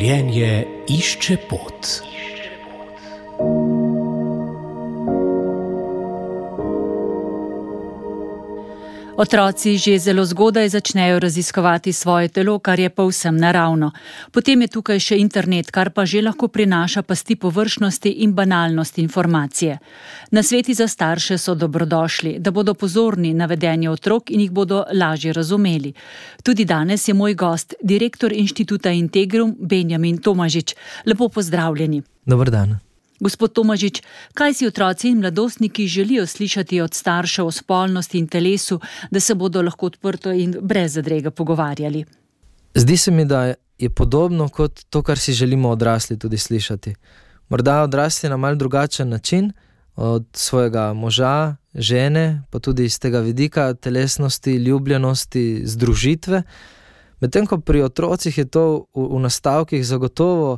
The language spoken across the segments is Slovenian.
Življenje išče pot. Otroci že zelo zgodaj začnejo raziskovati svoje telo, kar je povsem naravno. Potem je tukaj še internet, kar pa že lahko prinaša pasti površnosti in banalnosti informacije. Nasveti za starše so dobrodošli, da bodo pozorni na vedenje otrok in jih bodo lažje razumeli. Tudi danes je moj gost, direktor Inštituta Integrum, Benjamin Tomažič. Lepo pozdravljeni. Dober dan. Gospod Tomažič, kaj si otroci in mladostniki želijo slišati od staršev o spolnosti in telesu, da se bodo lahko odprto in brez zadrege pogovarjali? Zdi se mi, da je podobno kot to, kar si želimo odrasli tudi slišati. Morda odrasli na mal drugačen način od svojega moža, žene, pa tudi iz tega vidika telesnosti, ljubljenosti, združitve. Medtem ko pri otrocih je to v nastavkih zagotovo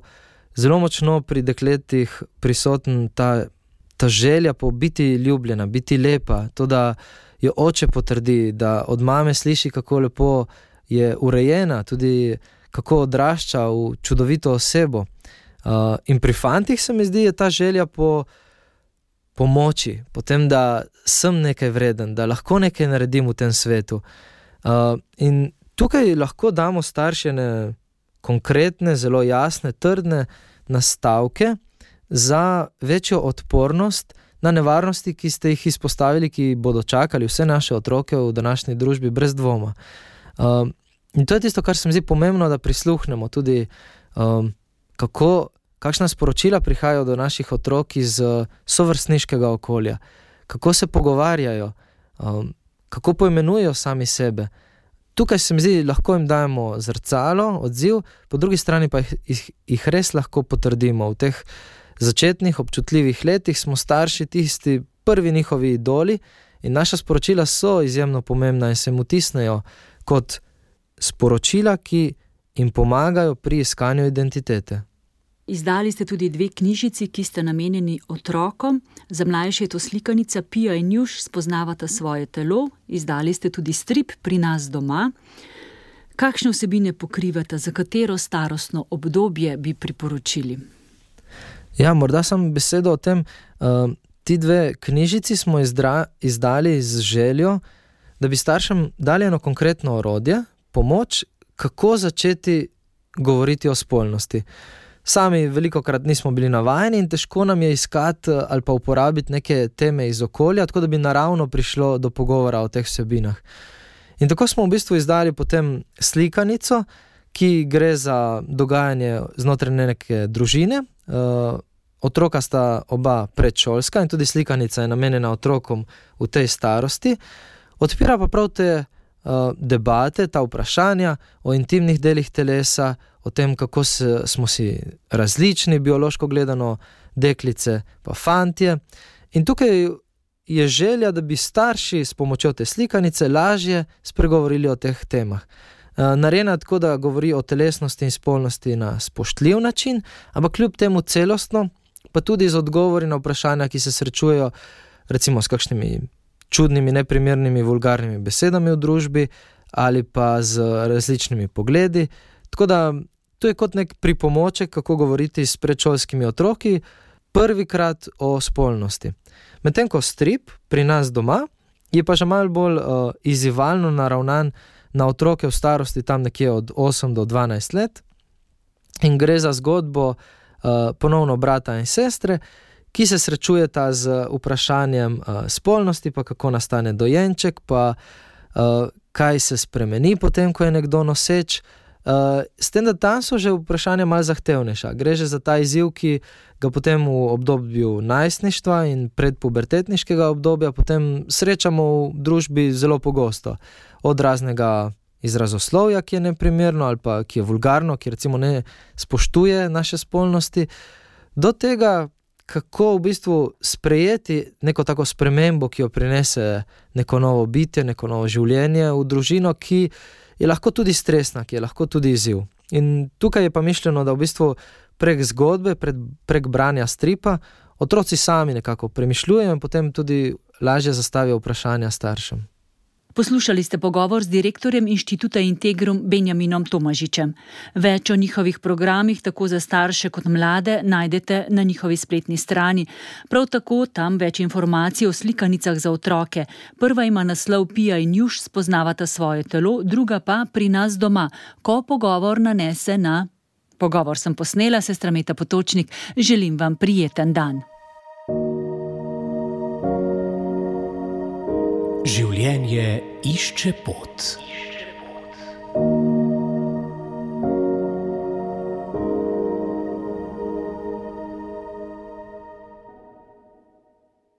zelo močno pri dekletih prisoten ta želja po biti ljubljena, biti lepa, to, da jo oče potrdi, da od mame sliši, kako lepo je urejena, tudi kako odrašča v čudovito osebo. In pri fantih se mi zdi, je ta želja po pomoči, po tem, da sem nekaj vreden, da lahko nekaj naredim v tem svetu. In tukaj lahko damo staršene konkretne, zelo jasne, trdne nastavke za večjo odpornost na nevarnosti, ki ste jih izpostavili, ki bodo čakali vse naše otroke v današnji družbi brez dvoma. In to je tisto, kar se mi zdi pomembno, da prisluhnemo tudi, kakšna sporočila prihajajo do naših otrok iz sovrstniškega okolja, kako se pogovarjajo, kako poimenujejo sami sebe. Tukaj se mi zdi, lahko jim dajemo zrcalo, odziv, po drugi strani pa jih res lahko potrdimo. V teh začetnih občutljivih letih smo starši tisti prvi njihovi idoli in naša sporočila so izjemno pomembna in se jim vtisnejo kot sporočila, ki jim pomagajo pri iskanju identitete. Izdali ste tudi 2 knjižici, ki ste namenjeni otrokom. Za mlajše je to slikanica Pija in Juš spoznavata svoje telo. Izdali ste tudi strip Pri nas doma. Kakšne vsebine pokrivate, za katero starostno obdobje bi priporočili? Ja, morda sam besedo o tem. Ti 2 knjižici smo izdali z željo, da bi staršem dali eno konkretno orodje, pomoč, kako začeti govoriti o spolnosti. Sami velikokrat nismo bili navajeni in težko nam je iskati ali pa uporabiti neke teme iz okolja, tako da bi naravno prišlo do pogovora o teh vsebinah. In tako smo v bistvu izdali potem slikanico, ki gre za dogajanje znotraj neke družine. Otroka sta oba predšolska in tudi slikanica je namenjena otrokom v tej starosti. Odpira pa prav te debate, ta vprašanja o intimnih delih telesa, o tem, kako smo si različni, biološko gledano, deklice pa fantje. In tukaj je želja, da bi starši s pomočjo te slikanice lažje spregovorili o teh temah. Narejena tako, da govori o telesnosti in spolnosti na spoštljiv način, ampak kljub temu celostno, pa tudi z odgovori na vprašanja, ki se srečujejo recimo s kakšnimi čudnimi, neprimernimi, vulgarnimi besedami v družbi ali pa z različnimi pogledi. Tako da to je kot nek pripomoček, kako govoriti s predšolskimi otroki prvikrat o spolnosti. Medtem ko strip Pri nas doma je pa že malo bolj izzivalno naravnan na otroke v starosti tam nekje od 8 do 12 let in gre za zgodbo ponovno brata in sestre, ki se srečujeta z vprašanjem spolnosti, pa kako nastane dojenček, pa kaj se spremeni potem, ko je nekdo noseč. S tem, da tam so že vprašanja malo zahtevnejša. Gre že za ta izziv, ki ga potem v obdobju najstništva in predpubertetniškega obdobja potem srečamo v družbi zelo pogosto. Od raznega izrazoslovja, ki je neprimerno ali pa ki je vulgarno, ki recimo ne spoštuje naše spolnosti, do tega, kako v bistvu sprejeti neko tako spremembo, ki jo prinese neko novo bitje, neko novo življenje v družino, ki je lahko tudi stresna, ki je lahko tudi izziv. In tukaj je pa mišljeno, da v bistvu prek zgodbe, prek branja stripa, otroci sami nekako premišljujejo in potem tudi lažje zastavijo vprašanja staršem. Poslušali ste pogovor z direktorjem Inštituta Integrum Benjaminom Tomažičem. Več o njihovih programih, tako za starše kot mlade, najdete na njihovi spletni strani. Prav tako tam več informacij o slikanicah za otroke. Prva ima naslov Pija in Juš spoznavata svoje telo, druga pa Pri nas doma, ko pogovor nanese na... Pogovor sem posnela, sestra Meta Potočnik. Želim vam prijeten dan. Življenje išče pot.